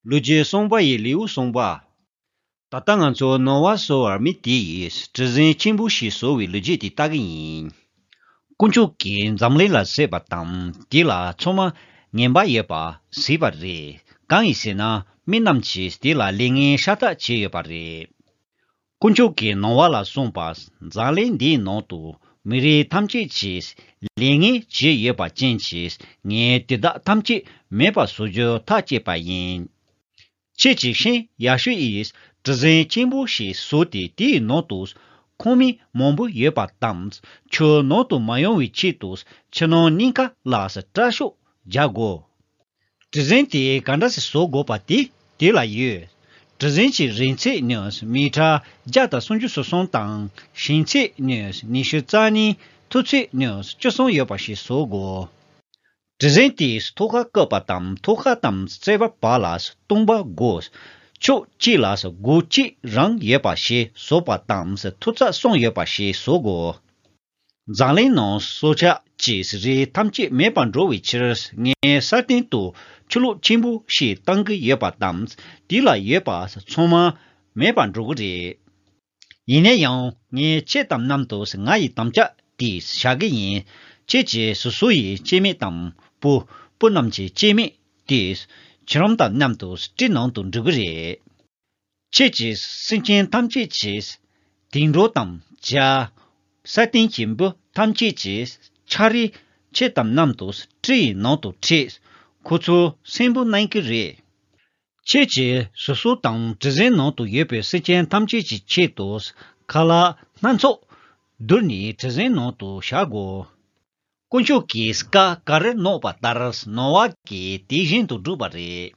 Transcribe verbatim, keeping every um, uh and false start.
ལོ་རྒྱུས་གསུངས་པ་ཡི་ལེའུ་གསུངས་པ། ད་ལྟ་ང་ཚོ་ནོ་ཝཱ་ཟེར་བའི་མི་དེ་ཡིས་གྲུ་གཟིངས་ཆེན་པོ་ཞིག་བཟོ་བའི་ལོ་རྒྱུས་དེ་ལྟ་གི་ཡིན། དཀོན་མཆོག་གིས་འཛམ་གླིང་ལ་གཟིགས་པ་དང་དེ་ལ་ཚང་མ་ངན་པ་ཡོད་པ་གཟིགས་པ་རེད། གང་ཡིན་ཟེར་ན་མི་རྣམས་ཀྱིས་དེ་ལ་ལས་ངན་ཤ་སྟག་བྱས་ཡོད་པ་རེད། དཀོན་མཆོག་གིས་ནོ་ཝཱ་ལ་གསུངས་པ། འཛམ་གླིང་འདིའི་ནང་དུ་མི་རིགས་ཐམས་ཅད་ཀྱིས་ལས་ངན་བྱས་ཡོད་པ་ཅན་གྱིས་ངས་དེ་དག་ཐམས་ཅད་མེད་པར་བཟོ་རྒྱུ་ཐག་བཅད་པ་ཡིན། ཁྱེད་ཀྱིས་ཤིང་ཡ་ཤུ་ཡིས་གྲུ་གཟིངས་ཆེན་པོ་ཞིག་བཟོས་ཏེ་དེའི་ནང་དུ་ཁང་མིག་མང་པོ་ཡོད་པ་དང་ཆུ་ནང་དུ་མ་ཡོང་བའི་ཆེད་དུ་ཆུ་ནང་གཉིས་ཀ་ལ་སྐྲ་ཤོག་རྒྱག་དགོས། གྲུ་གཟིངས་དེ་ག་འདྲ་ཞིག་བཟོ་དགོས་པ་དེ་དེ་ལ་ཡོད། གྲུ་གཟིངས་ཀྱི་རིང་ཚད་ནི་མི་ཊར་བརྒྱ་དང་སུམ་ཅུ་སོ་གསུམ་དང་ཞེང་ཚད་ནི་ཉི་ཤུ་རྩ་གཉིས། མཐོ་ཚད་ནི་བཅུ་གསུམ་ཡོད་པ་ཞིག་བཟོ་དགོས། གྲུ་གཟིངས་དེའི་ཐོག་ཁ་བཀོད་པ་དང་ཐོག་ཁ་དང་རྩིག་པ་བར་ལ་སྟོང་པ་དགོས། ཕྱོགས་གཅིག་ལ་སྒོ་གཅིག་རང་ཡོད་པ་ཞིག་བཟོ་བ་དང་མཐོ་ཚད་གསུམ་ཡོད་པ་ཞིག་བཟོ་དགོས། འཛམ་གླིང་ནང་སྲོག་ཆགས་ཀྱི་རིགས་ཐམས་ཅད་མེད་པར་འགྲོ་བའི་ཕྱིར་ངས་ས་སྟེང་དུ་ཆུ་ལོག་ཆེན་པོ་ཞིག་བཏང་གི་ཡོད་པ་དང་དེ་ལ་ཡོད་པ་ཚང་མ་མེད་པར་འགྲོ་གི་རེད། ཡིན་ན་ཡང་ངས་ཁྱེད་དང་མཉམ་དུ་ང་ཡི་དམ་བཅའ་དེ་བཞག་གི་ཡིན། ཁྱེད་ཀྱིས་སོ་སོ་ཡི་སྐྱེ་དམན་དང་བུ་བུ་རྣམས་ཀྱི་སྐྱེ་དམན་དེ་ཁྱེད་རང་དང་མཉམ་དུ་གྲུ་ནང་དུ་འགྲོ་གི་རེད། ཁྱེད་ཀྱིས་སེམས་ཅན་ཐམས་ཅད་ཀྱི་དུད་འགྲོ་དང་བྱ། ས་སྟེང་གི་འབུ་ཐམས་ཅད་ཀྱི་ཆ་རིགས་ཁྱེད་དང་མཉམ་དུ་གྲུ་ཡི་ནང་དུ་ཁྲིད། ཁོ་ཚོ་གསོན་པོ་གནང་གི་རེད། ཁྱེད་ཀྱིས་སོ་སོ་དང་གྲུ་གཟིངས་ནང་དུ་ཡོད་པའི་སེམས་ཅན་ཐམས་ཅད་ཀྱི་ཆེད་དུ་ཁ་ལག་སྣ་ཚོགས་བསྡུར་ནས་གྲུ་གཟིངས་ནང་དུ་བཞག་གོ། དཀོན་མཆོག་གིས་བཀའ་ག་རེ་གནང་བ་ལྟར་ནོ་ཝཱ་གིས་དེ་བཞིན་དུ་བསྒྲུབས་པ་རེད།